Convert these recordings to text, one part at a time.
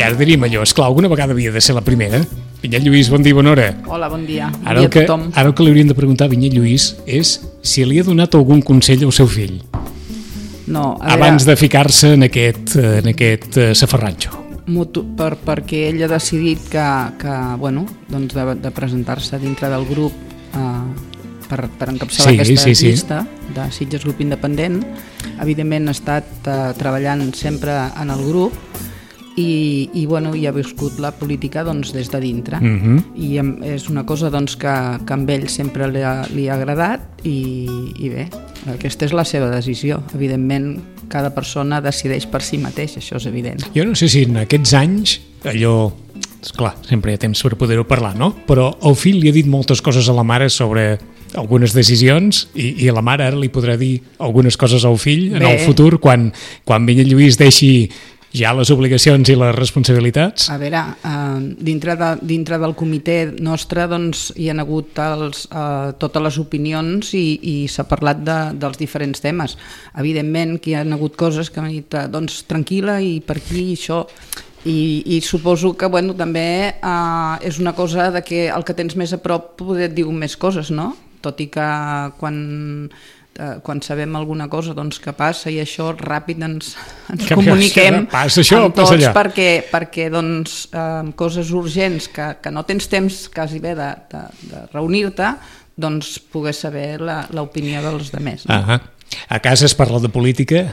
ara diríem allò, esclar, alguna vegada havia de ser la primera. Vinyet Lluís, bon dia, bona hora. Hola, bon dia. Ara el que li hauríem de preguntar a Vinyet Lluís és si li ha donat algun consell al seu fill. No, abans de ficar-se en aquest safarratxo. Perquè ell ha decidit que bueno, doncs de presentar-se dintre del grup per encapçalar aquesta llista de Sitges Grup Independent. Evidentment ha estat treballant sempre en el grup i bueno, ha viscut la política doncs, des de dintre. I és una cosa doncs, que amb ell sempre li ha agradat i bé, aquesta és la seva decisió. Evidentment, cada persona decideix per si mateix, això és evident. Jo no sé si en aquests anys allò... Esclar, sempre hi ha temps per poder-ho parlar, no? Però el fill li ha dit moltes coses a la mare sobre algunes decisions i la mare ara li podrà dir algunes coses al fill en el futur quan Vinyet Lluís deixi ja les obligacions i les responsabilitats? A veure, dintre del comitè nostre doncs, hi ha hagut totes les opinions i s'ha parlat dels diferents temes. Evidentment que hi ha hagut coses que han dit doncs, tranquil·la i per aquí això... I suposo que bueno, també és una cosa de que el que tens més a prop poder et diu més coses, no? Tot i que quan sabem alguna cosa doncs, que passa i això ràpid ens comuniquem amb tots perquè doncs, coses urgents que no tens temps quasi bé de reunir-te, doncs poder saber l'opinió dels altres. A casa es parla de política?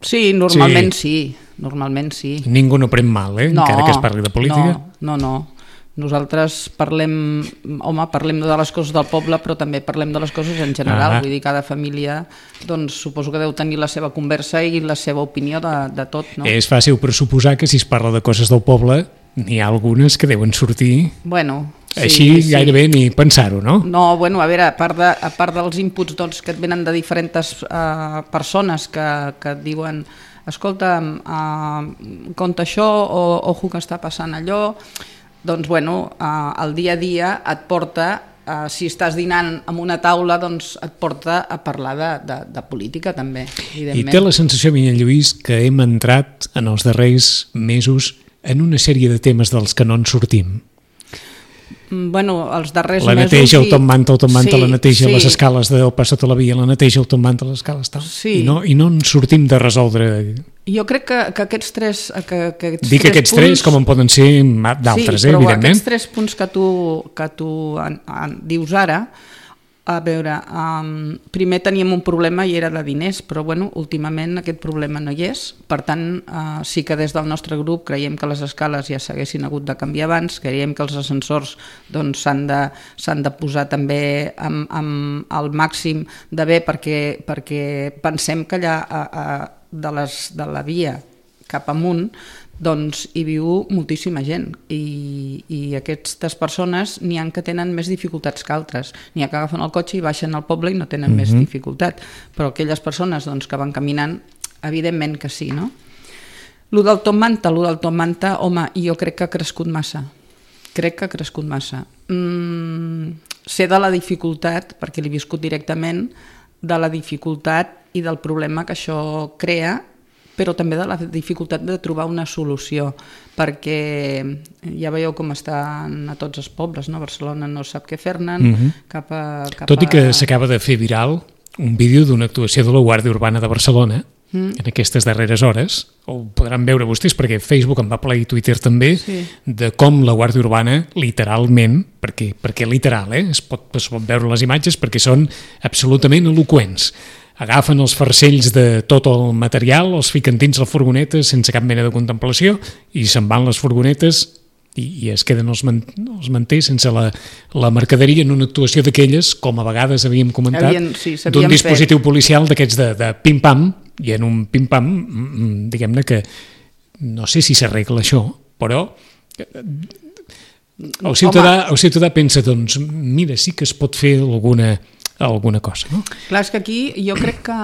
Sí, normalment sí. Normalment sí. Ningú no pren mal, encara que es parli de política? No. Nosaltres parlem de les coses del poble, però també parlem de les coses en general. Vull dir, cada família, doncs, suposo que deu tenir la seva conversa i la seva opinió de tot, no? És fàcil pressuposar que si es parla de coses del poble, n'hi ha algunes que deuen sortir... Bueno... Així gairebé ni pensar-ho, no? No, bueno, a veure, a part dels inputs doncs, que et venen de diferents persones que et diuen escolta, compta això o ojo que està passant allò, doncs bueno, el dia a dia et porta, si estàs dinant en una taula, doncs et porta a parlar de política també, evidentment. I té la sensació, Vinyet Lluís, que hem entrat en els darrers mesos en una sèrie de temes dels que no en sortim? Bueno, els darrers mesos... La neteja, el top manta, la neteja, les escales del pas sota la via, la neteja, el top manta, les escales, tal. I no en sortim de resoldre... Jo crec que aquests tres... Dic aquests tres com en poden ser d'altres, evidentment. Sí, però aquests tres punts que tu dius ara, a veure, primer teníem un problema i era de diners, però bueno, últimament aquest problema no hi és. Per tant, sí que des del nostre grup creiem que les escales ja s'haguessin hagut de canviar abans, creiem que els ascensors doncs, s'han de posar també al màxim de bé perquè pensem que allà de la via cap amunt doncs hi viu moltíssima gent i aquestes persones n'hi ha que tenen més dificultats que altres, n'hi ha que agafen el cotxe i baixen al poble i no tenen més dificultat, però aquelles persones doncs, que van caminant, evidentment que sí, no? Lo del top manta, home, jo crec que ha crescut massa. Sé de la dificultat, perquè l'he viscut directament, de la dificultat i del problema que això crea, però també de la dificultat de trobar una solució, perquè ja veieu com estan a tots els pobles, no? Barcelona no sap què fer-ne, Tot i que s'acaba de fer viral un vídeo d'una actuació de la Guàrdia Urbana de Barcelona en aquestes darreres hores, ho podran veure vostès perquè Facebook en va ple i Twitter també, de com la Guàrdia Urbana literalment, perquè literal, es pot veure les imatges perquè són absolutament eloqüents, agafen els farcells de tot el material, els fiquen dins la furgoneta sense cap mena de contemplació i se'n van les furgonetes i es queden els manters sense la mercaderia en una actuació d'aquelles, com a vegades havíem comentat, d'un dispositiu policial d'aquests de pim-pam, i en un pim-pam, diguem-ne que no sé si s'arregla això, però el ciutadà pensa, doncs, mira, sí que es pot fer alguna cosa, no? Clar, és que aquí jo crec que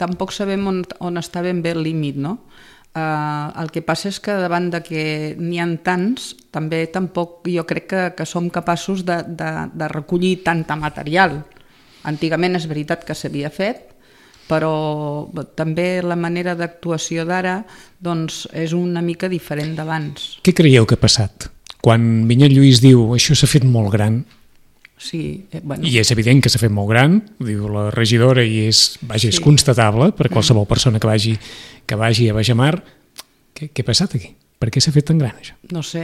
tampoc sabem on està ben bé el límit, no? El que passa és que davant de que n'hi ha tants, tampoc jo crec que som capaços de recollir tanta material. Antigament és veritat que s'havia fet, però també la manera d'actuació d'ara doncs, és una mica diferent d'abans. Què creieu que ha passat? Quan Vinyet Lluís diu això s'ha fet molt gran, sí, bueno. I és evident que s'ha fet molt gran, ho diu la regidora i és constatable per qualsevol persona que vagi a Bajamar. Què ha passat aquí? Per què s'ha fet tan gran això? No sé,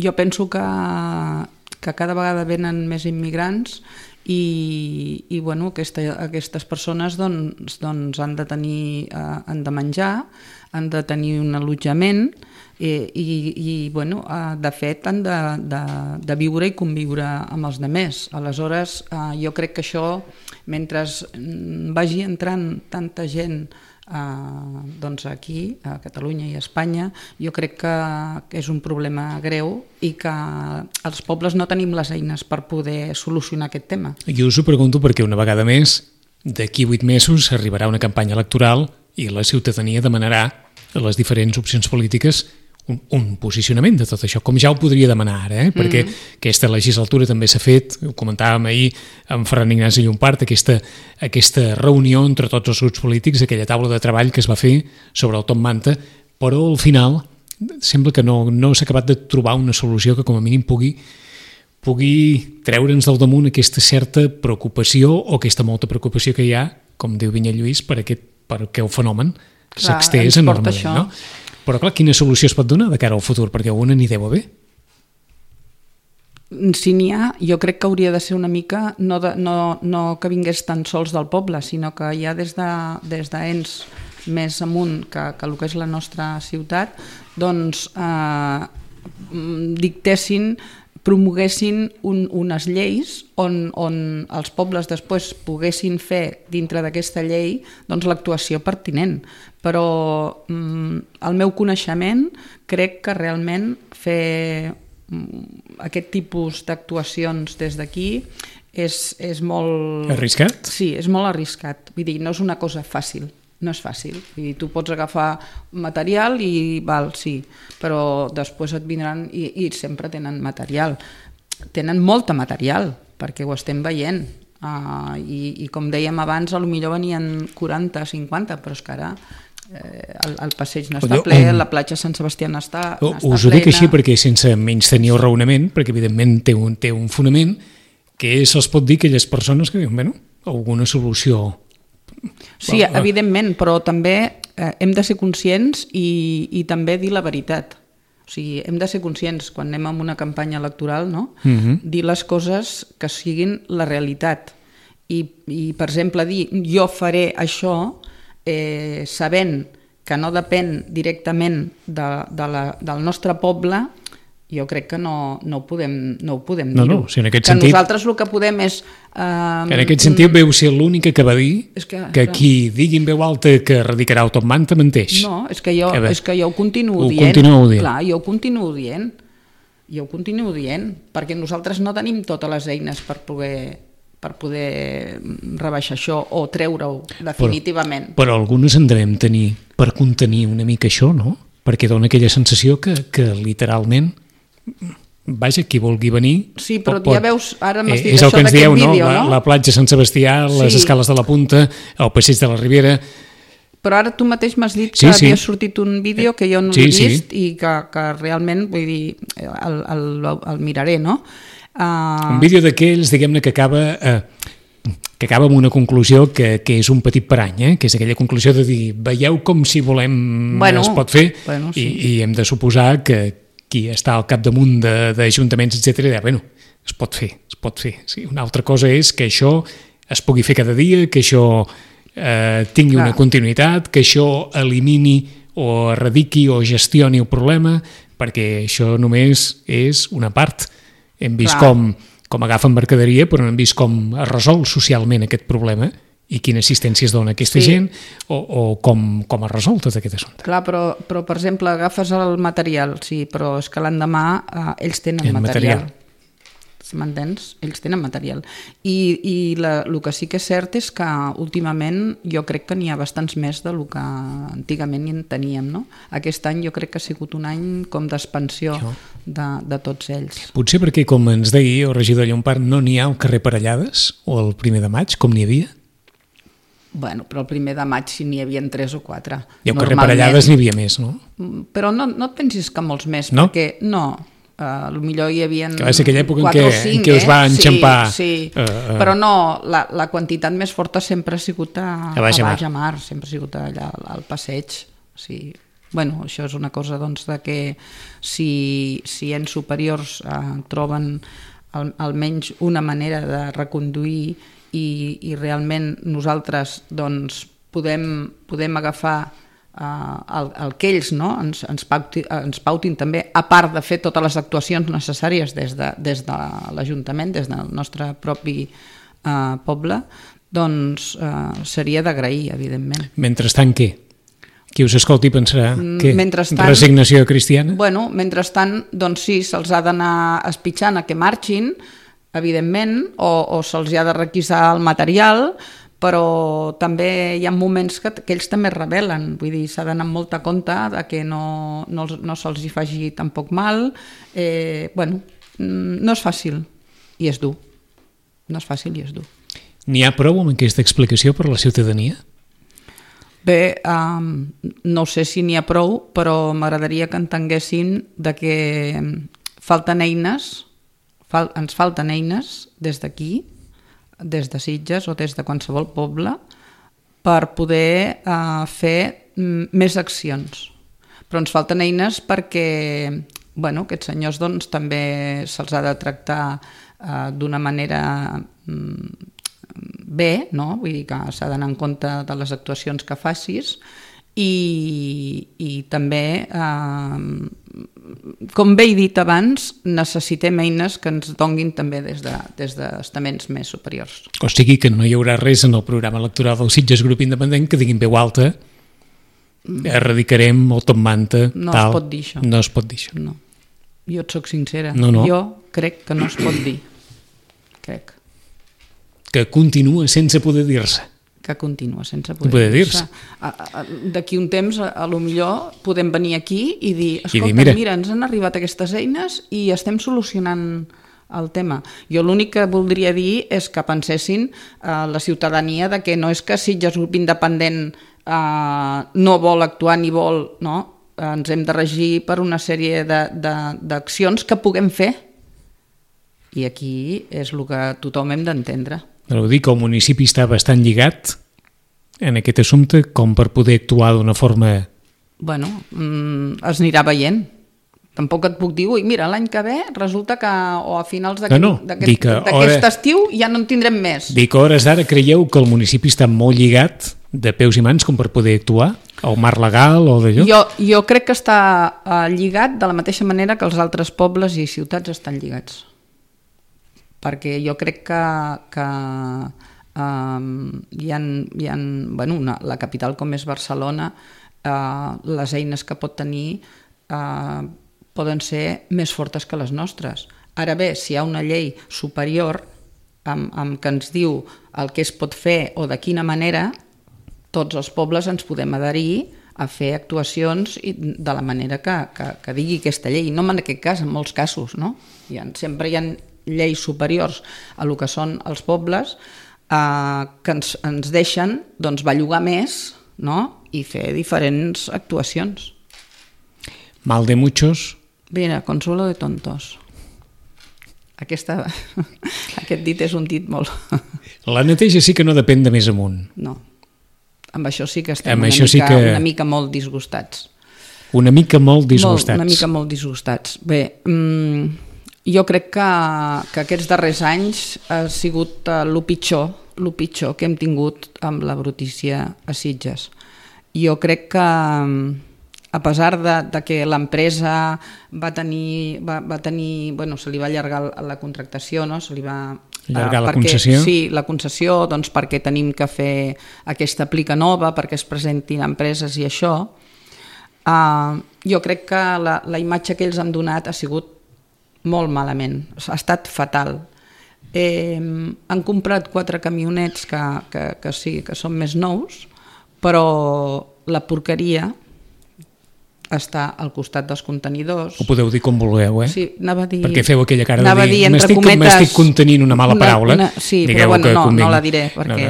jo penso que cada vegada venen més immigrants i bueno, aquestes persones doncs, han de menjar, han de tenir un allotjament i bueno, de fet han de viure i conviure amb els altres. Aleshores, jo crec que això, mentre vagi entrant tanta gent doncs aquí, a Catalunya i a Espanya, jo crec que és un problema greu i que els pobles no tenim les eines per poder solucionar aquest tema. Jo us ho pregunto perquè una vegada més, d'aquí 8 mesos arribarà una campanya electoral i la ciutadania demanarà a les diferents opcions polítiques un posicionament de tot això, com ja ho podria demanar ara, perquè aquesta legislatura també s'ha fet, ho comentàvem ahir amb Ferran Ignasi Llompart, aquesta reunió entre tots els grups polítics, aquella taula de treball que es va fer sobre el Top Manta, però al final sembla que no s'ha acabat de trobar una solució que com a mínim pugui treure'ns del damunt aquesta certa preocupació o aquesta molta preocupació que hi ha, com diu Vinyet Lluís, per aquest fenomen s'extés enormement, no? Però clar, quina solució es pot donar de cara al futur? Perquè una n'hi deu haver. Si n'hi ha, jo crec que hauria de ser una mica, no que vingués tan sols del poble, sinó que ja des d'ens més amunt que el que és la nostra ciutat, doncs dictessin, promoguessin unes lleis on els pobles després poguessin fer dintre d'aquesta llei doncs, l'actuació pertinent. Però al meu coneixement crec que realment fer aquest tipus d'actuacions des d'aquí és molt... Arriscat? Sí, és molt arriscat. Vull dir, no és una cosa fàcil. No és fàcil. I tu pots agafar material i val, sí, però després et vindran i sempre tenen material. Tenen molta material, perquè ho estem veient. I com dèiem abans, potser venien 40, 50, però és que ara el passeig no està ple, la platja Sant Sebastià no està plena. Us ho dic així perquè sense menys tenir el raonament, perquè evidentment té un fonament, que se'ls pot dir a aquelles persones que diuen, bueno, alguna solució... Sí, evidentment, però també hem de ser conscients i també dir la veritat. O sigui, hem de ser conscients quan anem a una campanya electoral, no? Dir les coses que siguin la realitat. I per exemple, dir jo faré això sabent que no depèn directament del nostre poble, jo crec que no ho podem dir-ho. No, si en aquest sentit... Que nosaltres el que podem és... En aquest sentit veu ser l'única que va dir que qui digui en veu alta que radicarà el Top Manta menteix. No, és que jo ho continuo dient. Clar, jo ho continuo dient. Jo ho continuo dient, perquè nosaltres no tenim totes les eines per poder rebaixar això o treure-ho definitivament. Però algunes en devem tenir per contenir una mica això, no? Perquè dona aquella sensació que literalment... Vaja, qui vulgui venir... Sí, però ja veus, ara m'has dit això d'aquest vídeo, no? La platja Sant Sebastià, les escales de la Punta, el passeig de la Ribera... Però ara tu mateix m'has dit que havia sortit un vídeo que jo no l'he vist i que realment, vull dir, el miraré, no? Un vídeo d'aquells, diguem-ne, que acaba amb una conclusió que és un petit parany, que és aquella conclusió de dir, veieu com si volem es pot fer, i hem de suposar que qui està al capdamunt d'ajuntaments, etc., bueno, es pot fer. Sí, una altra cosa és que això es pugui fer cada dia, que això tingui una continuïtat, que això elimini o erradiqui o gestioni el problema, perquè això només és una part. Hem vist com agafen mercaderia, però no hem vist com es resol socialment aquest problema i quina assistència es dona a aquesta gent o com es resol tot aquest assumpte. Clar, però per exemple, agafes el material, sí, però és que l'endemà ells tenen material. M'entens? Ells tenen material. I el que sí que és cert és que últimament jo crec que n'hi ha bastants més del que antigament en teníem, no? Aquest any jo crec que ha sigut un any com d'expansió de tots ells. Potser perquè, com ens deia el regidor Llompart, no n'hi ha al carrer Parellades o el 1 de maig, com n'hi havia? Bueno, però el 1 de maig si n'hi havia 3 o 4. I al carrer Parellades n'hi havia més, no? Però no et pensis que molts més, no? Perquè potser hi havia que va ser aquella època 4 o 5, en què us va enxampar. Sí. Però no, la quantitat més forta sempre ha sigut a Baix-a-Mar, sempre ha sigut allà al passeig. Sí. Bueno, això és una cosa doncs, de que si ens superiors troben almenys una manera de reconduir i realment nosaltres doncs, podem agafar el que ells ens pautin també, a part de fer totes les actuacions necessàries des de l'Ajuntament, des del nostre propi poble, doncs seria d'agrair, evidentment. Mentrestant, què? Qui us escolti pensarà que resignació cristiana? Bueno, mentrestant, doncs sí, se'ls ha d'anar espitxant a que marxin, evidentment, o se'ls ha de requisar el material, però també hi ha moments que ells també es rebel·len, vull dir, s'ha d'anar amb molta compte de que no se'ls hi faci tampoc mal. Bueno, no és fàcil i és dur. No és fàcil i és dur. N'hi ha prou amb aquesta explicació per a la ciutadania? Bé, no sé si n'hi ha prou, però m'agradaria que entenguessin de que falten eines, ens falten eines des d'aquí, des de Sitges o des de qualsevol poble, per poder fer més accions. Però ens falten eines perquè aquests senyors doncs, també se'ls ha de tractar d'una manera bé, no? Vull dir que s'ha d'anar en compte de les actuacions que facis i també, com bé he dit abans, necessitem eines que ens donguin també des d'estaments més superiors. O sigui que no hi haurà res en el programa electoral del Sitges Grup Independent que diguin veu alta, erradicarem el top manta, no tal. Es pot dir això. No es pot dir això. No. Jo et soc sincera. No. Jo crec que no es pot dir. Crec. Que continua sense poder dir-se. Que continua sense poder dir-se. D'aquí un temps, a lo millor, podem venir aquí i dir, escolta, mira, ens han arribat aquestes eines i estem solucionant el tema. Jo l'únic que voldria dir és que pensessin la ciutadania de que no és que Sitges Grup Independent no vol actuar ni vol, no? Ens hem de regir per una sèrie d'accions que puguem fer. I aquí és el que tothom hem d'entendre. Però dir que el municipi està bastant lligat en aquest assumpte com per poder actuar d'una forma... Bueno, es anirà veient. Tampoc et puc dir, mira, l'any que ve resulta que o a finals d'aquest estiu ja no en tindrem més. Dic que a hores d'ara creieu que el municipi està molt lligat de peus i mans com per poder actuar? El marc legal o d'allò? Jo crec que està lligat de la mateixa manera que els altres pobles i ciutats estan lligats. Perquè jo crec que la capital com és Barcelona, les eines que pot tenir poden ser més fortes que les nostres. Ara bé, si hi ha una llei superior amb que ens diu el que es pot fer o de quina manera, tots els pobles ens podem adherir a fer actuacions de la manera que digui aquesta llei. No en aquest cas, en molts casos, no? Sempre hi ha lleis superiors a lo que són els pobles que ens deixen doncs, bellugar més, no? I fer diferents actuacions. Mal de muchos. Mira, consuelo de tontos. Aquest dit és un dit molt... La neteja sí que no depèn de més amunt. No. Amb això sí que estem una mica molt disgustats. Una mica molt disgustats. Una mica molt disgustats. Bé, jo crec que aquests darrers anys ha sigut el pitjor que hem tingut amb la brutícia a Sitges. Jo crec que a pesar de que l'empresa va tenir, bueno, se li va allargar la contractació, no? Se li va allargar la concessió? Sí, la concessió, doncs perquè tenim que fer aquesta plica nova, perquè es presentin empreses i això. Jo crec que la imatge que ells han donat ha sigut molt malament, ha estat fatal. Han comprat 4 camionets que sí, que són més nous, però la porqueria està al costat dels contenidors. Ho podeu dir com vulgueu, eh? Sí, anava a dir... Perquè feu aquella cara de dir, m'estic contenint una mala paraula. Sí, però bueno, no la diré, perquè...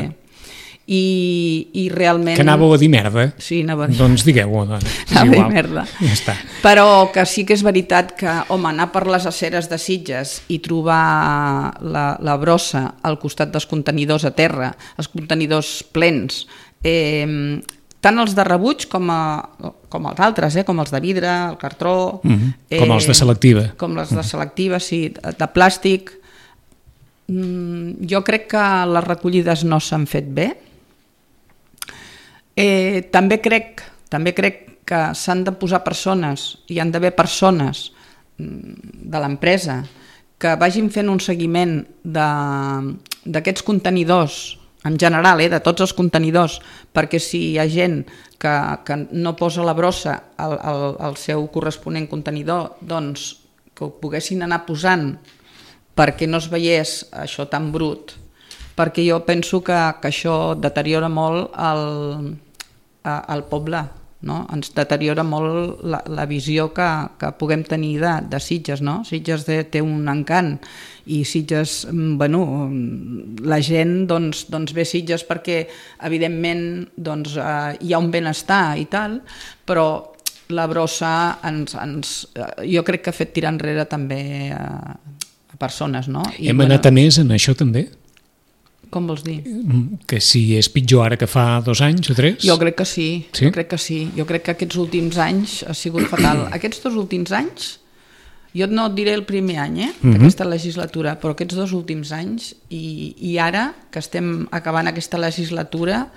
i realment... Que anàveu a dir merda? Sí, anava a dir... Doncs digueu-ho, doncs. Anava a dir merda. Ja està. Però que sí que és veritat que, home, anar per les aceres de Sitges i trobar la brossa al costat dels contenidors a terra, els contenidors plens, tant els de rebuig com els altres, com els de vidre, el cartró... Com els de selectiva. Com els de selectiva, sí, de plàstic. Jo crec que les recollides no s'han fet bé. També crec que s'han de posar persones, hi han d'haver persones de l'empresa que vagin fent un seguiment d'aquests contenidors, en general, de tots els contenidors, perquè si hi ha gent que no posa la brossa al seu corresponent contenidor, doncs que ho poguessin anar posant perquè no es veiés això tan brut, perquè jo penso que això deteriora molt el poble, no? Ens deteriora molt la visió que puguem tenir de Sitges, no? Sitges té un encant i Sitges, bueno, la gent doncs ve a Sitges perquè evidentment doncs, hi ha un benestar i tal, però la brossa jo crec que ha fet tirar enrere també a persones, no? Hem anat a més en això també? Com vols dir? Que si és pitjor ara que fa 2 anys o 3? Jo crec que sí, sí? Jo crec que sí. Jo crec que aquests últims anys ha sigut fatal. Aquests 2 últims anys, jo no et diré el primer any d'aquesta legislatura, però aquests 2 últims anys i ara que estem acabant aquesta legislatura,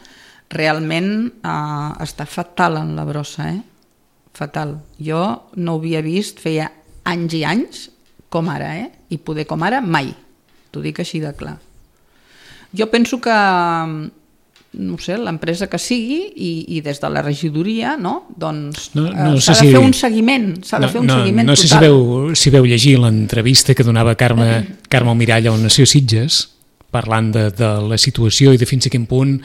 realment està fatal en la brossa, fatal. Jo no ho havia vist, feia anys i anys, com ara, i poder com ara, mai. T'ho dic així de clar. Jo penso que, no sé, l'empresa que sigui i des de la regidoria, no? Doncs s'ha de fer un seguiment, total. No sé si veu llegir l'entrevista que donava Carme Almirall a Nació Sitges, parlant de la situació i de fins a quin punt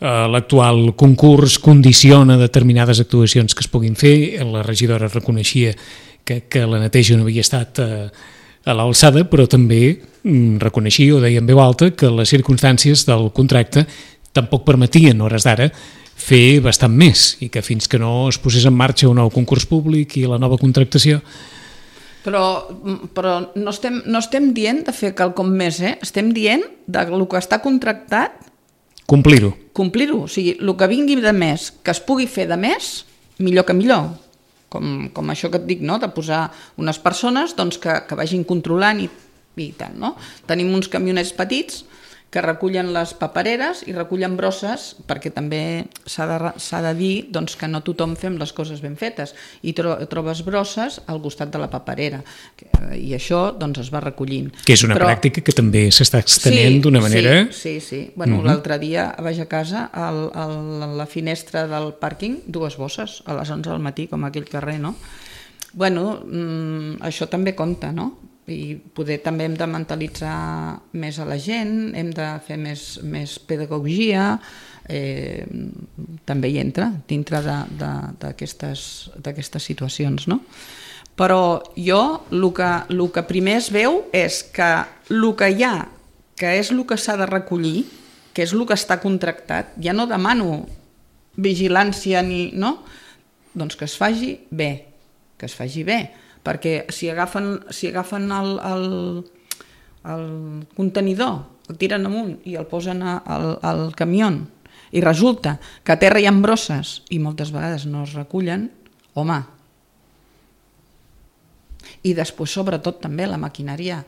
l'actual concurs condiciona determinades actuacions que es puguin fer. La regidora reconeixia que la neteja no havia estat a l'alçada, però també reconeixia, o deia en veu alta, que les circumstàncies del contracte tampoc permetien, a hores d'ara, fer bastant més, i que fins que no es posés en marxa un nou concurs públic i la nova contractació... Però no estem dient de fer quelcom més, estem dient del que està contractat... Complir-ho. O sigui, el que vingui de més, que es pugui fer de més, millor que millor. Com això que et dic, no? De posar unes persones doncs, que vagin controlant i tant. No? Tenim uns camionets petits que recullen les papereres i recullen brosses, perquè també s'ha de dir doncs, que no tothom fem les coses ben fetes, i trobes brosses al costat de la paperera, i això doncs, es va recollint. Que és una pràctica que també s'està extenent d'una manera... Sí. Bueno, l'altre dia vaig a casa, a la finestra del pàrquing, 2 bosses, a les 11 del matí, com aquell carrer, no? Bueno, això també compta, no? I poder també hem de mentalitzar més a la gent, hem de fer més pedagogia, també hi entra dintre d'aquestes situacions, no? Però jo el que primer es veu és que el que hi ha, que és el que s'ha de recollir, que és el que està contractat, ja no demano vigilància ni... no? Doncs que es faci bé, perquè si agafen el contenidor, el tiren amunt i el posen al camió i resulta que a terra hi ha brosses i moltes vegades no es recullen, home. I després, sobretot, també la maquinària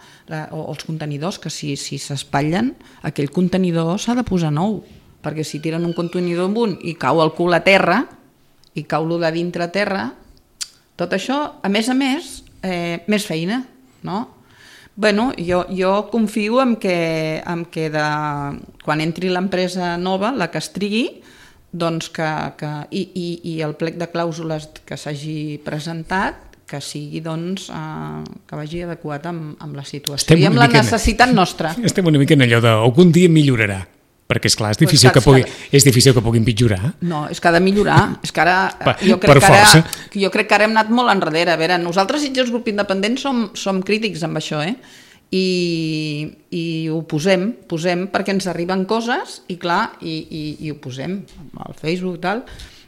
o els contenidors, que si s'espatllen, aquell contenidor s'ha de posar nou, perquè si tiren un contenidor amunt i cau el cul a terra i cau lo de dintre a terra, tot això, a més, més feina, no? Bueno, jo confio en que quan entri l'empresa nova, la que es trigui, doncs i el plec de clàusules que s'hagi presentat, que sigui, doncs, que vagi adequat amb la situació i amb la necessitat nostra. Estem una mica en allò d'algun dia millorarà. Perquè, esclar, és difícil que pugui empitjorar. No, és que ha de millorar. És que ara, jo crec que ara hem anat molt enrere. A veure, nosaltres, Sitges Grup Independent, som crítics amb això, i ho posem perquè ens arriben coses i clar, i ho posem al Facebook i tal,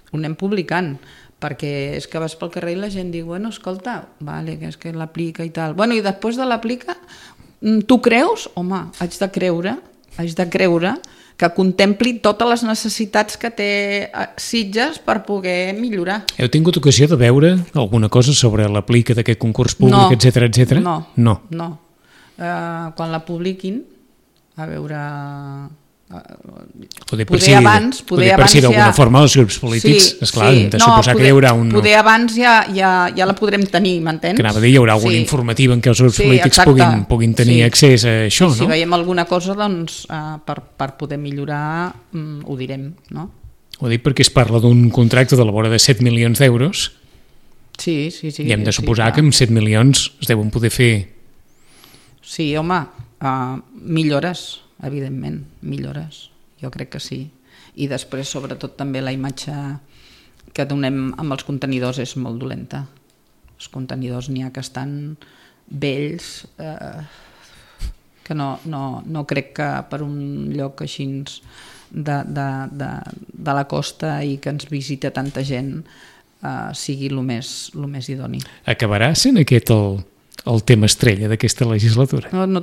ho anem publicant, perquè és que vas pel carrer i la gent diu, bueno, escolta, vale, que és que l'aplica i tal. Bueno, i després de l'aplica, tu creus? Home, haig de creure que contempli totes les necessitats que té Sitges per poder millorar. Heu tingut ocasió de veure alguna cosa sobre l'aplica d'aquest concurs públic, etc? No. Quan la publiquin, a veure... Poder per si d'alguna forma els grups polítics, esclar, hem de suposar que hi haurà un... Poder abans ja la podrem tenir, m'entens? Que anava a dir, hi haurà alguna informativa en què els grups polítics puguin tenir accés a això, no? Si veiem alguna cosa, doncs, per poder millorar, ho direm, no? Ho dic perquè es parla d'un contracte de la vora de 7 milions d'euros. Sí. I hem de suposar que amb 7 milions es deuen poder fer... Sí, home, millores, evidentment, millores, jo crec que sí. I després, sobretot, també la imatge que donem amb els contenidors és molt dolenta. Els contenidors n'hi ha que estan vells, que no crec que per un lloc així de la costa i que ens visita tanta gent sigui el més idoni. Acabarà sent aquest el tema estrella d'aquesta legislatura? No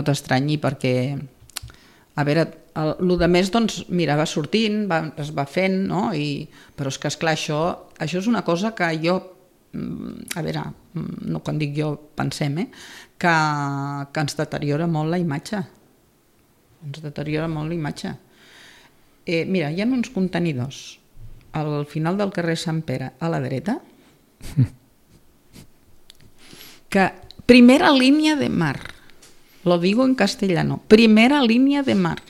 t'estranyi perquè, a veure, el de més, doncs, mira, va sortint, es va fent, no? Però és que, esclar, això és una cosa que jo, a veure, no quan dic jo, pensem, que ens deteriora molt la imatge. Mira, hi ha uns contenidors al final del carrer Sant Pere, a la dreta, que primera línia de mar, lo digo en castellano, primera línia de mar.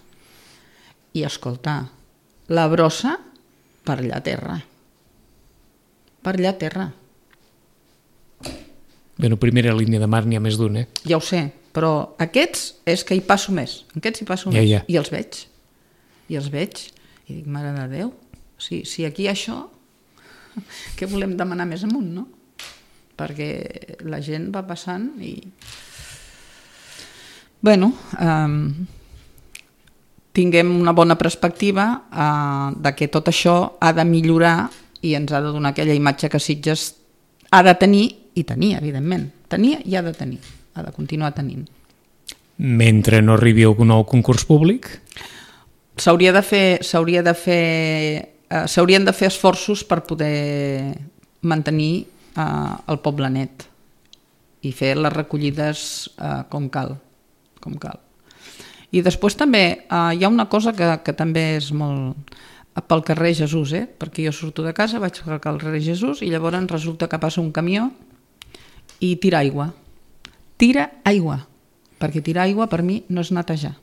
I escolta, la brossa per allà a terra. Bueno, primera línia de mar n'hi ha més d'un, Ja ho sé, però aquests és que hi passo més. Ja. I els veig. I dic, mare de Déu, si aquí això, què volem demanar més amunt, no? Perquè la gent va passant i... Bueno, tinguem una bona perspectiva de que tot això ha de millorar i ens ha de donar aquella imatge que Sitges ha de tenir i tenir, evidentment. Tenir i ha de tenir, ha de continuar tenint. Mentre no arribi algun nou concurs públic? S'haurien de fer esforços per poder mantenir el poble net i fer les recollides com cal. I després també hi ha una cosa que també és molt pel carrer Jesús, perquè jo surto de casa, vaig al carrer Jesús i llavors resulta que passa un camió i tira aigua, perquè tirar aigua per mi no és netejar.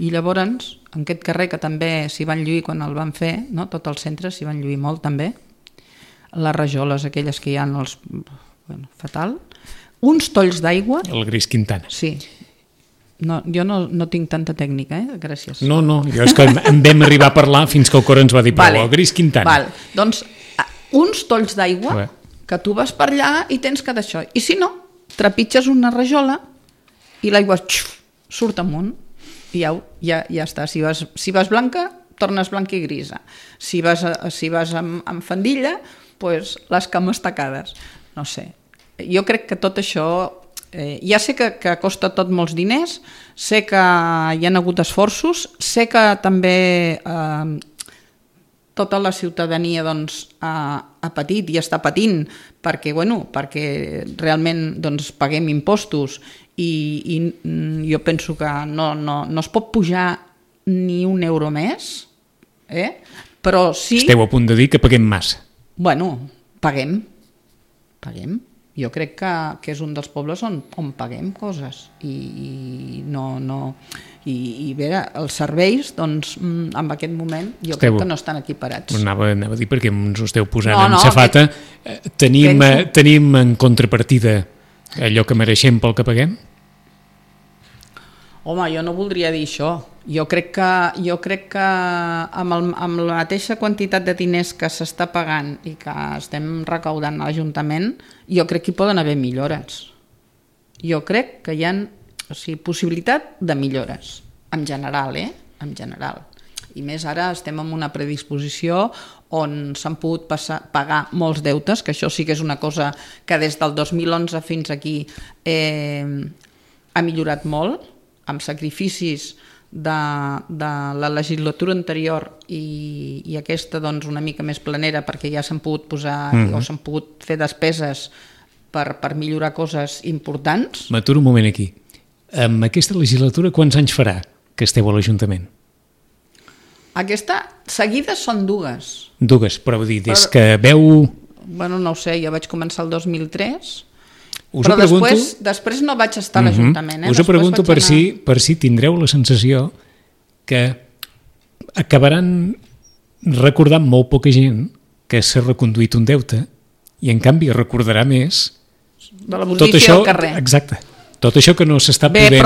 I llavors, en aquest carrer que també s'hi van lluir quan el van fer, no? Tot el centre s'hi van lluir molt també, les rajoles aquelles que hi ha, fatal, uns tolls d'aigua... El Gris Quintana. Sí. No, jo no tinc tanta tècnica, gràcies. No, jo és que en vam arribar a parlar fins que el Cor ens va dir, però el Gris Quintana. Doncs uns tolls d'aigua que tu vas per allà i tens que d'això. I si no, trepitges una rajola i l'aigua surt amunt i ja està. Si vas blanca, tornes blanca i grisa. Si vas amb fandilla, doncs les cames tacades. No sé. Jo crec que tot això... ja sé que costa tot molts diners, sé que hi ha hagut esforços, sé que també tota la ciutadania ha patit i està patint perquè realment paguem impostos i jo penso que no es pot pujar ni un euro més, però sí... Esteu a punt de dir que paguem massa. Bueno, paguem. Jo crec que és un dels pobles on paguem coses i els serveis, doncs, en aquest moment jo crec que no estan equiparats. Anava a dir perquè ens ho esteu posant en safata. Tenim en contrapartida allò que mereixem pel que paguem? Home, jo no voldria dir això. Jo crec que amb la mateixa quantitat de diners que s'està pagant i que estem recaudant a l'Ajuntament, jo crec que hi poden haver millores. Jo crec que hi ha possibilitat de millores, en general, en general. I més ara estem en una predisposició on s'han pogut pagar molts deutes, que això sí que és una cosa que des del 2011 fins aquí ha millorat molt, amb sacrificis de la legislatura anterior i aquesta doncs, una mica més planera, perquè ja s'han pogut posar o s'han pogut fer despeses per millorar coses importants. M'aturo un moment aquí. Amb aquesta legislatura quants anys farà que esteu a l'Ajuntament? Aquesta seguida són dues. Dues, però vull dir, des que veu... Bueno, no ho sé, jo vaig començar el 2003, però després no vaig estar a l'Ajuntament. Us ho pregunto per si tindreu la sensació que acabaran recordant molt poca gent que s'ha reconduït un deute i en canvi recordarà més de la posició al carrer. Exacte. Tot això que no s'està podent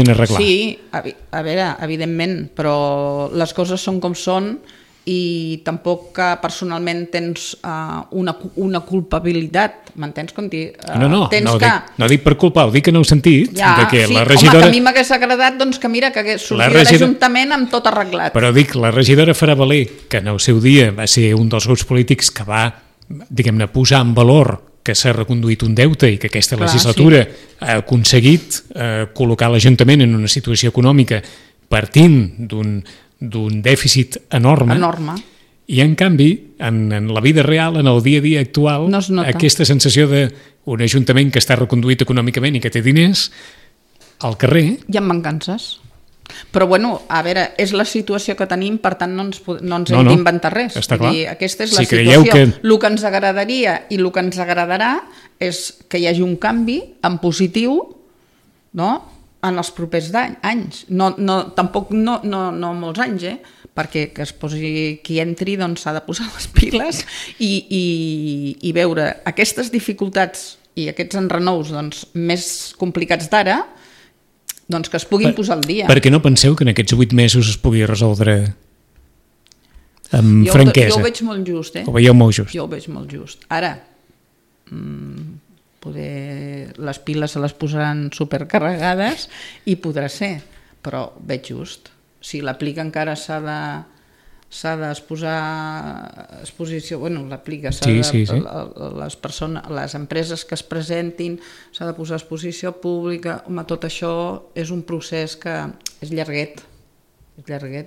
arreglar. Sí, a veure, evidentment, però les coses són com són i tampoc personalment tens una culpabilitat, m'entens? No dic per culpar, ho dic en el sentit de que la regidora... Home, que a mi m'hagués agradat que mira, que hagués sortit de l'Ajuntament amb tot arreglat. Però dic, la regidora farà valer que en el seu dia va ser un dels grups polítics que va, diguem-ne, posar en valor que s'ha reconduït un deute i que aquesta legislatura ha aconseguit col·locar l'Ajuntament en una situació econòmica partint d'un dèficit enorme. I en canvi, en la vida real, en el dia a dia actual, aquesta sensació d'un Ajuntament que està reconduït econòmicament i que té diners, al carrer... Hi ha mancances. Però bueno, a veure, és la situació que tenim, per tant no ens hem d'inventar res. Està clar. Aquesta és la situació. El que ens agradaria i el que ens agradarà és que hi hagi un canvi en positiu, no?, en els propers anys. Tampoc no molts anys, perquè que es posi qui entri doncs s'ha de posar les piles i veure aquestes dificultats i aquests enrenous doncs, més complicats d'ara, doncs que es puguin posar al dia. Perquè no penseu que en aquests 8 mesos es pugui resoldre amb franquesa? Jo ho veig molt just. Ho veieu molt just? Jo ho veig molt just. Ara, poder les piles se les posaran supercarregades i podrà ser, però veig just. Si l'aplica encara s'ha d'exposar a exposició, bueno, l'aplica, les empreses que es presentin, s'ha de posar a exposició pública, home, tot això és un procés que és llarguet,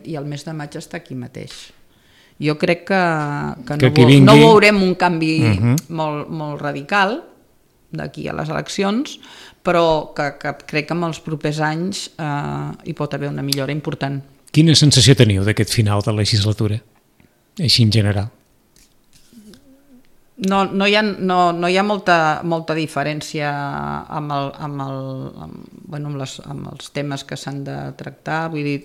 i el mes de maig està aquí mateix. Jo crec que no veurem un canvi molt radical d'aquí a les eleccions, però que crec que en els propers anys hi pot haver una millora important. Quina sensació teniu d'aquest final de legislatura, així en general? No hi ha molta diferència amb els temes que s'han de tractar, vull dir,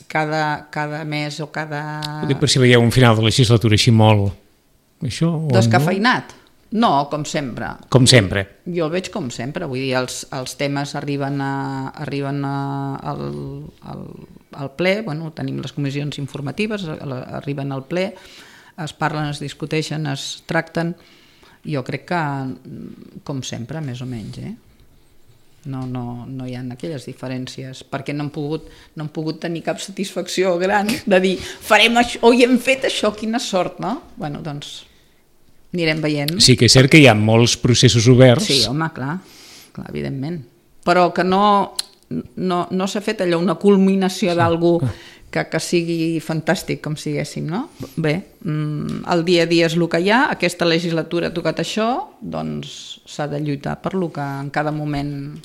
cada mes o cada... Ho dic per si veieu un final de legislatura així molt... Descafeinat? No, com sempre. Com sempre? Jo el veig com sempre, vull dir, els temes arriben al ple, bueno, tenim les comissions informatives, arriben al ple, es parlen, es discuteixen, es tracten, jo crec que com sempre, més o menys, No hi ha aquelles diferències, perquè no han pogut tenir cap satisfacció gran de dir, farem això, o hi hem fet això, quina sort, no? Bueno, doncs anirem veient. Sí que és cert que hi ha molts processos oberts. Sí, home, clar, evidentment. Però que no s'ha fet allò, una culminació d'algú que sigui fantàstic, com siguéssim, no? Bé, el dia a dia és el que hi ha, aquesta legislatura ha tocat això, doncs s'ha de lluitar per lo que en cada moment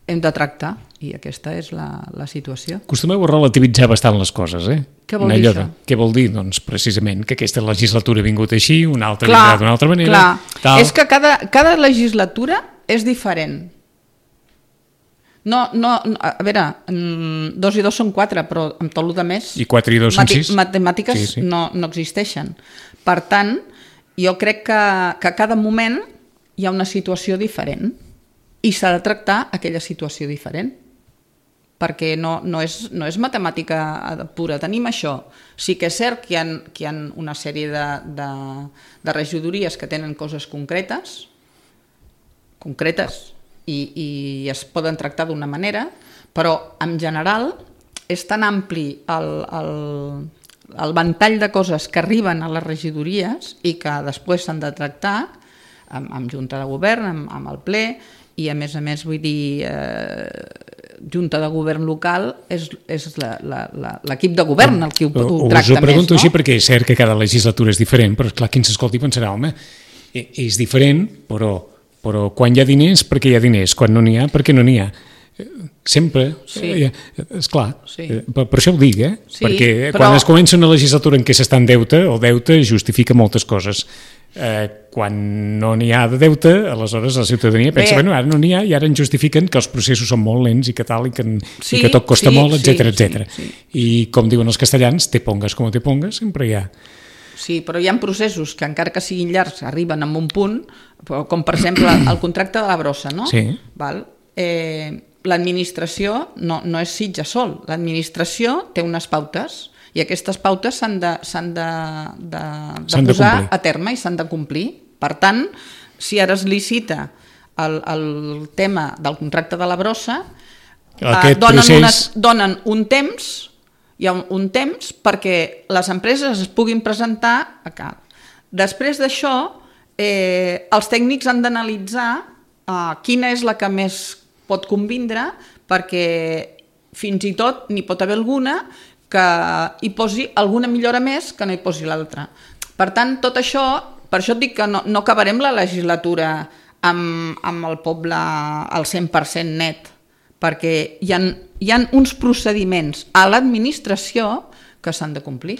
hem de tractar, i aquesta és la situació. Acostumeu a relativitzar bastant les coses, Què vol dir això? Què vol dir? Doncs precisament que aquesta legislatura ha vingut així, una altra vindrà d'una altra manera. Clar, és que cada legislatura és diferent. No, a veure, 2 i 2 són 4, però amb tot el que més... I 4 i 2 són 6. Matemàtiques sí. No existeixen. Per tant, jo crec que a cada moment hi ha una situació diferent i s'ha de tractar aquella situació diferent. Perquè no és matemàtica pura. Tenim això. Sí que és cert que hi ha una sèrie de regidories que tenen coses concretes, i es poden tractar d'una manera, però en general és tan ampli el ventall de coses que arriben a les regidories i que després s'han de tractar amb junta de govern, amb el ple, i a més, vull dir, junta de govern local és l'equip de govern el que ho tracta més. Us ho pregunto així perquè és cert que cada legislatura és diferent, però clar, qui ens escolti pensarà, home, és diferent, però quan hi ha diners, perquè hi ha diners, quan no n'hi ha, perquè no n'hi ha. Sempre, esclar, per això ho dic, perquè quan es comença una legislatura en què s'està en deute, el deute justifica moltes coses. Quan no n'hi ha de deute, aleshores la ciutadania pensa, bueno, ara no n'hi ha i ara ens justifiquen que els processos són molt lents i que tal, i que tot costa molt, etc. I com diuen els castellans, te pongas como te pongas, sempre hi ha. Sí, però hi ha processos que encara que siguin llargs arriben a un punt, com per exemple el contracte de la brossa, no? Sí. L'administració no és Sitja sol, l'administració té unes pautes i aquestes pautes s'han de posar a terme i s'han de complir. Per tant, si ara es licita el tema del contracte de la brossa, donen un temps, hi ha un temps perquè les empreses es puguin presentar a cap. Després d'això, els tècnics han d'analitzar quina és la que més pot convindre, perquè fins i tot n'hi pot haver alguna que hi posi alguna millora més que no hi posi l'altra. Per tant, tot això, per això et dic que no acabarem la legislatura amb el poble al 100% net, perquè hi ha uns procediments a l'administració que s'han de complir.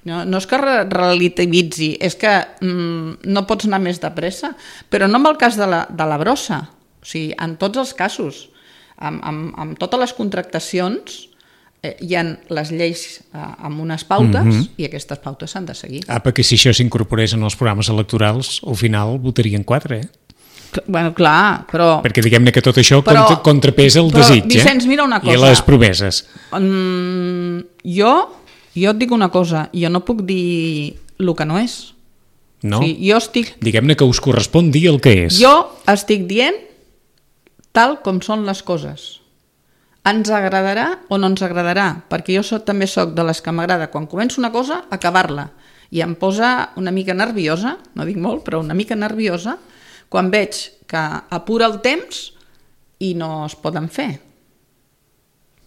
No és que relativitzi, és que no pots anar més de pressa, però no en el cas de la brossa, o sigui, en tots els casos, amb totes les contractacions, hi ha les lleis amb unes pautes i aquestes pautes s'han de seguir. Perquè si això s'incorporés en els programes electorals, al final votarien 4, Bueno, clar, però... Perquè diguem-ne que tot això contrapesa el desig, Vicenç, mira una cosa. I les promeses. Jo et dic una cosa, jo no puc dir el que no és. No? O sigui, jo estic... Diguem-ne que us correspon dir el que és. Jo estic dient tal com són les coses. Ens agradarà o no ens agradarà, perquè jo també soc de les que m'agrada, quan començo una cosa, acabar-la. I em posa una mica nerviosa, no dic molt, però una mica nerviosa, quan veig que apura el temps i no es poden fer.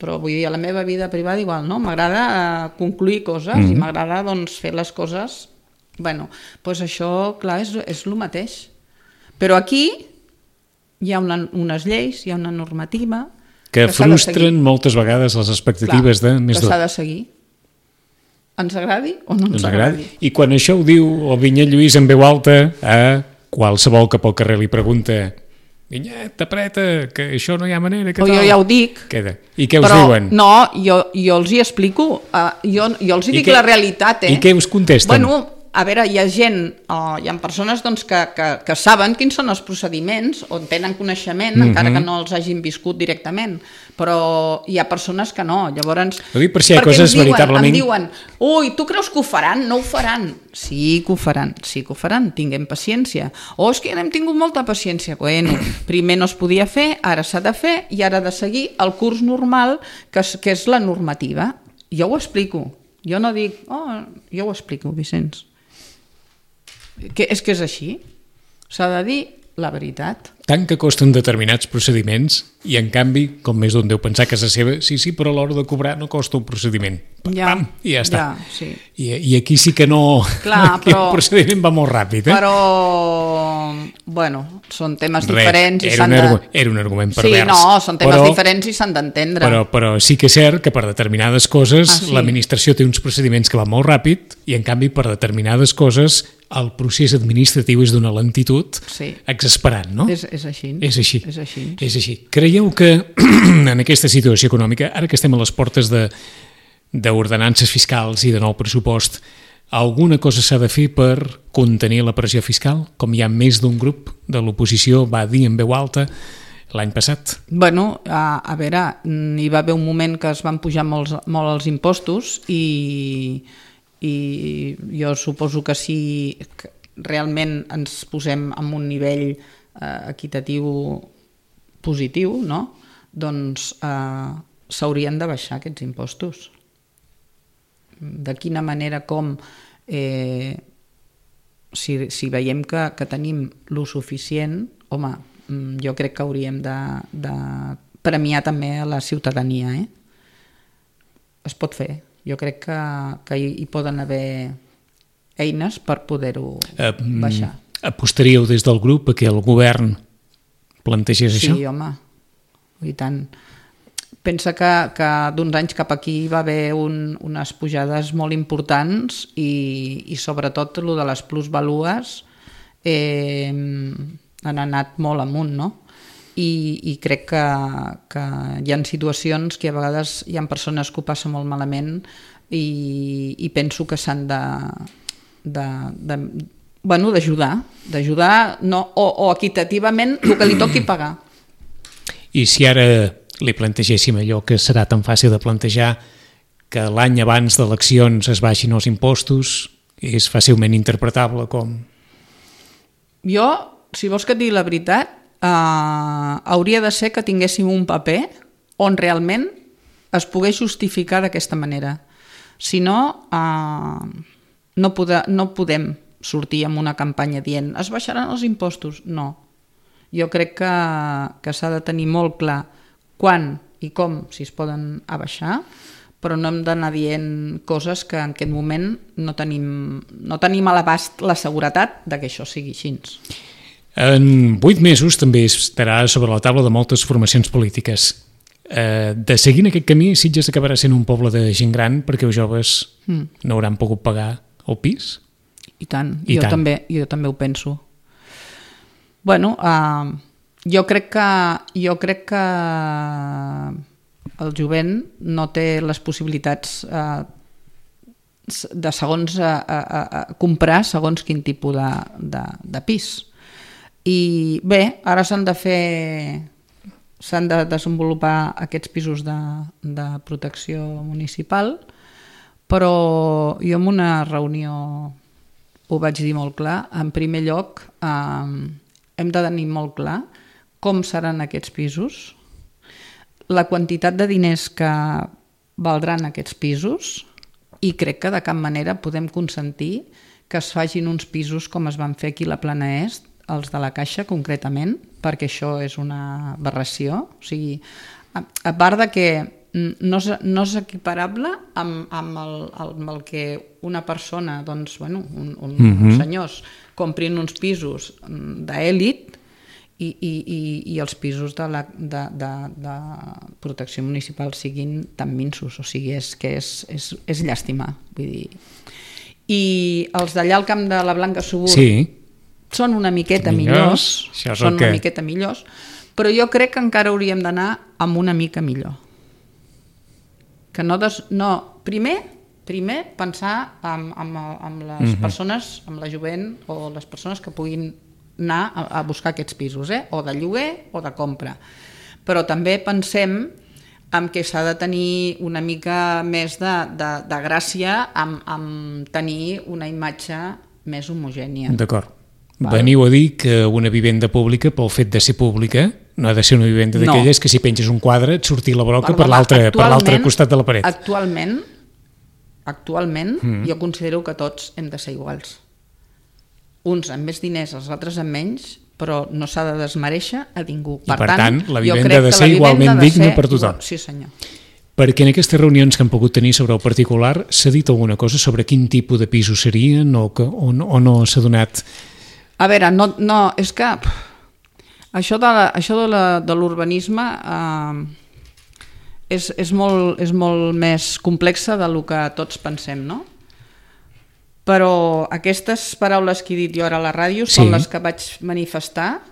Però vull dir, a la meva vida privada igual, no? M'agrada concluir coses i m'agrada fer les coses... Bueno, doncs això, clar, és el mateix. Però aquí hi ha unes lleis, hi ha una normativa... Que frustren moltes vegades les expectatives de més que s'ha de seguir. Ens agradi o no ens agradi. I quan això ho diu el Vinyet Lluís en veu alta a qualsevol que pel carrer li pregunta Vinyet, apreta, que això no hi ha manera, que tal? Jo ja ho dic. Queda. I què us diuen? No, jo els hi explico. Jo els hi dic la realitat. I què us contesten? Bueno, a veure, hi ha gent, hi ha persones que saben quins són els procediments o tenen coneixement, encara que no els hagin viscut directament, però hi ha persones que no. Llavors, ho dic per si hi ha coses veritablement... Em diuen, ui, tu creus que ho faran? No ho faran. Sí que ho faran, tinguem paciència. És que ja n'hem tingut molta paciència. Bueno, primer no es podia fer, ara s'ha de fer i ara ha de seguir el curs normal, que és la normativa. Jo ho explico. Jo no dic, jo ho explico, Vicenç. És que és així. S'ha de dir la veritat. Tant que costen determinats procediments i, en canvi, com més d'un deu pensar a casa seva, sí, però a l'hora de cobrar no costa un procediment. Pam, i ja està. Ja, sí. I aquí sí que no... Clar, aquí el procediment va molt ràpid, Però, bueno, són temes diferents i s'han de... Era un argument pervers. Sí, no, són temes diferents i s'han d'entendre. Però sí que és cert que per determinades coses l'administració té uns procediments que van molt ràpid i, en canvi, per determinades coses el procés administratiu és d'una lentitud exasperant, no? És així. És així. Creieu que en aquesta situació econòmica, ara que estem a les portes d'ordenances fiscals i de nou pressupost, alguna cosa s'ha de fer per contenir la pressió fiscal, com hi ha més d'un grup de l'oposició va dir en veu alta l'any passat? Bueno, a veure, hi va haver un moment que es van pujar molt els impostos i jo suposo que si realment ens posem en un nivell equitatiu positiu, no? Doncs s'haurien de baixar aquests impostos. De quina manera, com, si veiem que tenim lo suficient, home, jo crec que hauríem de premiar també a la ciutadania. Es pot fer. Jo crec que hi poden haver eines per poder-ho baixar. Apostaríeu des del grup a que el govern plantegés això? Sí, home, i tant. Pensa que d'uns anys cap aquí va haver unes pujades molt importants i sobretot el de les plusvalues han anat molt amunt, no? I crec que hi ha situacions que a vegades hi ha persones que ho passen molt malament i penso que s'han d'ajudar o equitativament el que li toqui pagar. I si ara li plantegéssim allò que serà tan fàcil de plantejar, que l'any abans d'eleccions es baixin els impostos, és fàcilment interpretable com... Jo, si vols que et digui la veritat, hauria de ser que tinguéssim un paper on realment es pogués justificar d'aquesta manera. Si no, no podem sortir amb una campanya dient es baixaran els impostos. No. Jo crec que s'ha de tenir molt clar quan i com si es poden abaixar, però no hem d'anar dient coses que en aquest moment no tenim a l'abast la seguretat de que això sigui així. En 8 mesos també estarà sobre la taula de moltes formacions polítiques. De seguir en aquest camí, Sitges acabarà sent un poble de gent gran perquè els joves no hauran pogut pagar el pis? I tant, jo també ho penso. Bueno, jo crec que el jovent no té les possibilitats de comprar segons quin tipus de pis. I bé, ara s'han de desenvolupar aquests pisos de protecció municipal, però jo en una reunió ho vaig dir molt clar. En primer lloc, hem de tenir molt clar com seran aquests pisos, la quantitat de diners que valdran aquests pisos, i crec que de cap manera podem consentir que es facin uns pisos com es van fer aquí a la Plana Est, els de la Caixa concretament, perquè això és una aberració. O sigui, a part de que no és equiparable amb el que una persona, doncs, bueno, uns senyors comprin uns pisos d'èlit i els pisos de protecció municipal siguin tan minsos. O sigui, és llàstima. Vull dir. I els d'allà al camp de la Blanca Subur són una miqueta millors, però jo crec que encara hauríem d'anar amb una mica millor. Que primer pensar amb les persones, amb la jovent o les persones que puguin anar a buscar aquests pisos, o de lloguer o de compra. Però també pensem en que s'ha de tenir una mica més de gràcia amb tenir una imatge més homogènia. D'acord. Veniu a dir que una vivenda pública, pel fet de ser pública, no ha de ser una vivenda d'aquelles que si penges un quadre et surti la broca per l'altre costat de la paret. Actualment jo considero que tots hem de ser iguals. Uns amb més diners, els altres amb menys, però no s'ha de desmereixer a ningú. I per tant, la vivenda ha de ser igualment digna per tothom. Sí, senyor. Perquè en aquestes reunions que han pogut tenir sobre el particular s'ha dit alguna cosa sobre quin tipus de pisos serien o no s'ha donat... A veure, no, és que això de l'urbanisme és molt més complexa del que tots pensem, no? Però aquestes paraules que he dit jo ara a la ràdio són les que vaig manifestar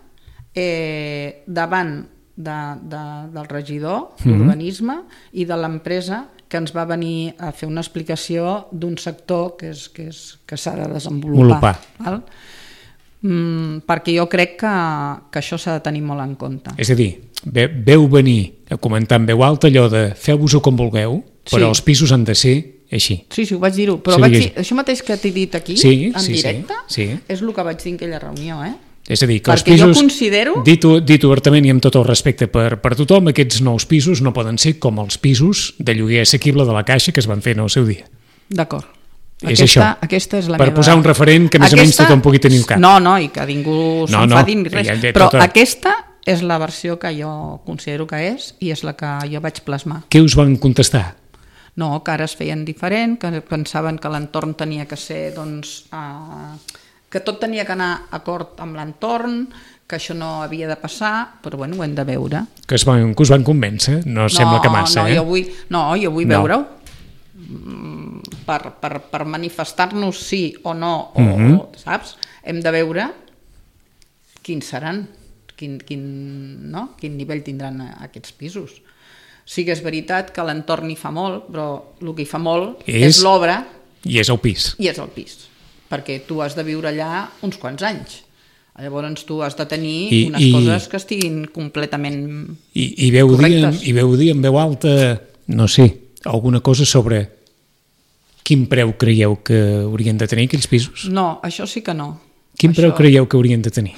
davant del regidor d'urbanisme i de l'empresa que ens va venir a fer una explicació d'un sector que s'ha de desenvolupar. Perquè jo crec que això s'ha de tenir molt en compte. És a dir, veu venir a comentar en veu alta allò de feu-vos-ho com vulgueu, però els pisos han de ser així. Sí, ho vaig dir-ho, però vaig dir, això mateix que t'he dit aquí, en directe, és el que vaig dir en aquella reunió. És a dir, que els perquè pisos, jo considero... dit obertament i amb tot el respecte per tothom, aquests nous pisos no poden ser com els pisos de lloguer assequible de la Caixa que es van fer en el seu dia. D'acord. És això. Aquesta és la per meva... posar un referent que més o menys tothom pugui tenir al cap. No, i que ningú s'enfadi ni res. Però aquesta és la versió que jo considero que és i és la que jo vaig plasmar. Què us van contestar? No, que ara es feien diferent, que pensaven que l'entorn tenia que ser, doncs, que tot tenia que anar acord amb l'entorn, que això no havia de passar, però bueno, ho hem de veure. Que us van convèncer? No sembla que massa, jo vull veure-ho. Per manifestar-nos sí o no, saps? Hem de veure quins seran, quin nivell tindran aquests pisos. Sí que és veritat que l'entorn hi fa molt, però el que hi fa molt és l'obra. I és el pis. I és el pis, perquè tu has de viure allà uns quants anys. Llavors tu has de tenir unes coses que estiguin completament correctes. I veu dir en veu alta, no sé, alguna cosa sobre quin preu creieu que haurien de tenir aquells pisos? No, això sí que no. Quin preu creieu que haurien de tenir?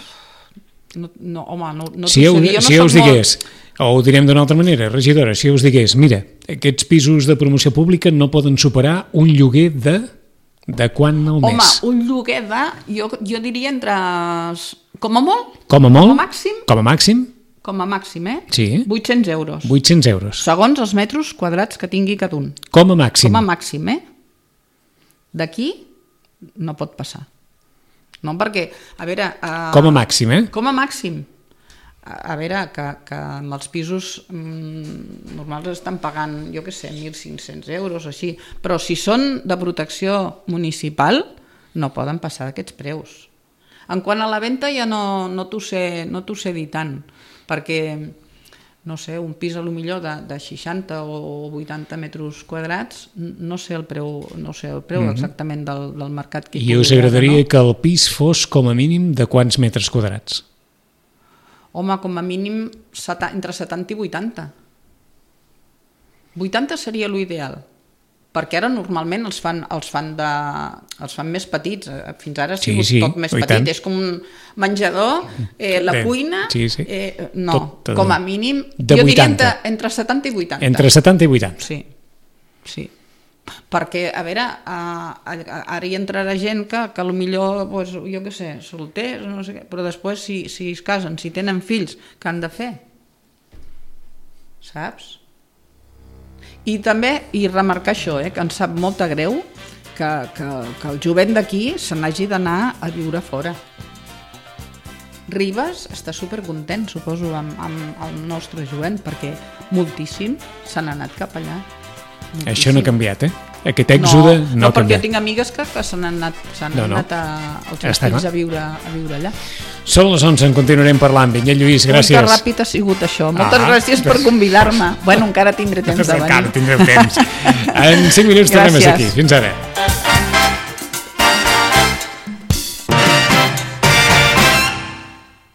No, home, no si jo us digués, o ho direm d'una altra manera, regidora, si jo us digués, mira, aquests pisos de promoció pública no poden superar un lloguer de quant al mes? Home, un lloguer jo diria entre, com a molt, com a màxim, sí. 800 euros. 800 euros. Segons els metres quadrats que tingui cada un. Com a màxim. Com a màxim, D'aquí no pot passar. No, perquè, a veure... com a màxim, Com a màxim. A veure, que amb els pisos normals estan pagant, jo què sé, 1.500 euros, així. Però si són de protecció municipal, no poden passar aquests preus. En quant a la venda ja no t'ho sé dir tant, perquè, no sé, un pis a lo millor de 60 o 80 metres quadrats, no sé el preu exactament del mercat que hi pugui haver. I us agradaria que el pis fos com a mínim de quants metres quadrats? Home, com a mínim entre 70 i 80. 80 seria l'ideal, perquè ara normalment els fan més petits, fins ara ha sigut tot més petit, és com un menjador, la cuina, com a mínim, jo diria entre 70 i 80. Entre 70 i 80? Sí. Perquè, a veure, ara hi entrarà gent que potser, jo què sé, solters, no sé què, però després si es casen, si tenen fills, què han de fer? Saps? I també, i remarcar això, que em sap molt de greu que el jovent d'aquí se n'hagi d'anar a viure fora. Ribes està supercontent, suposo, amb el nostre jovent, perquè moltíssim se n'ha anat cap allà. Moltíssim. Això no ha canviat, Aquest èxode no ha canviat. Perquè jo tinc amigues que se n'han anat els seus fills a viure allà. Són les 11, en continuarem parlant. Vinyet Lluís, gràcies. Que ràpid ha sigut això. Moltes gràcies per convidar-me. Bueno, encara tindré temps de venir. Encara tindrem temps. En 5 minuts tornem aquí. Fins ara.